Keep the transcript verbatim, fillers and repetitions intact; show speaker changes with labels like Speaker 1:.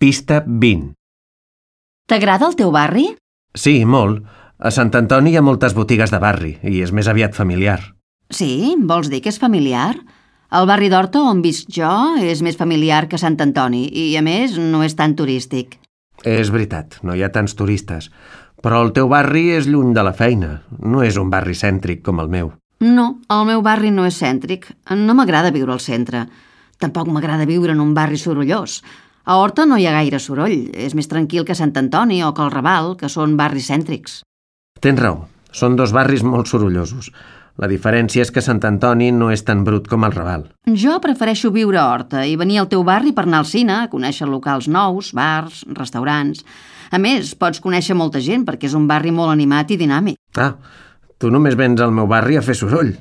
Speaker 1: Pista vint.
Speaker 2: T'agrada el teu barri?
Speaker 1: Sí, molt. A Sant Antoni hi ha moltes botigues de barri i és més aviat familiar.
Speaker 2: Sí? Vols dir que és familiar? El barri d'Horta on visc jo és més familiar que Sant Antoni i, a més, no és tan turístic.
Speaker 1: És veritat, no hi ha tants turistes. Però el teu barri és lluny de la feina. No és un barri cèntric com el meu.
Speaker 2: No, el meu barri no és cèntric. No m'agrada viure al centre. Tampoc m'agrada viure en un barri sorollós. A Horta no hi ha gaire soroll. És més tranquil que Sant Antoni o que el Raval, que són barris cèntrics.
Speaker 1: Tens raó. Són dos barris molt sorollosos. La diferència és que Sant Antoni no és tan brut com el Raval.
Speaker 2: Jo prefereixo viure a Horta i venir al teu barri per anar al cine, conèixer locals nous, bars, restaurants. A més, pots conèixer molta gent perquè és un barri molt animat i dinàmic.
Speaker 1: Ah, tu només vens al meu barri a fer soroll.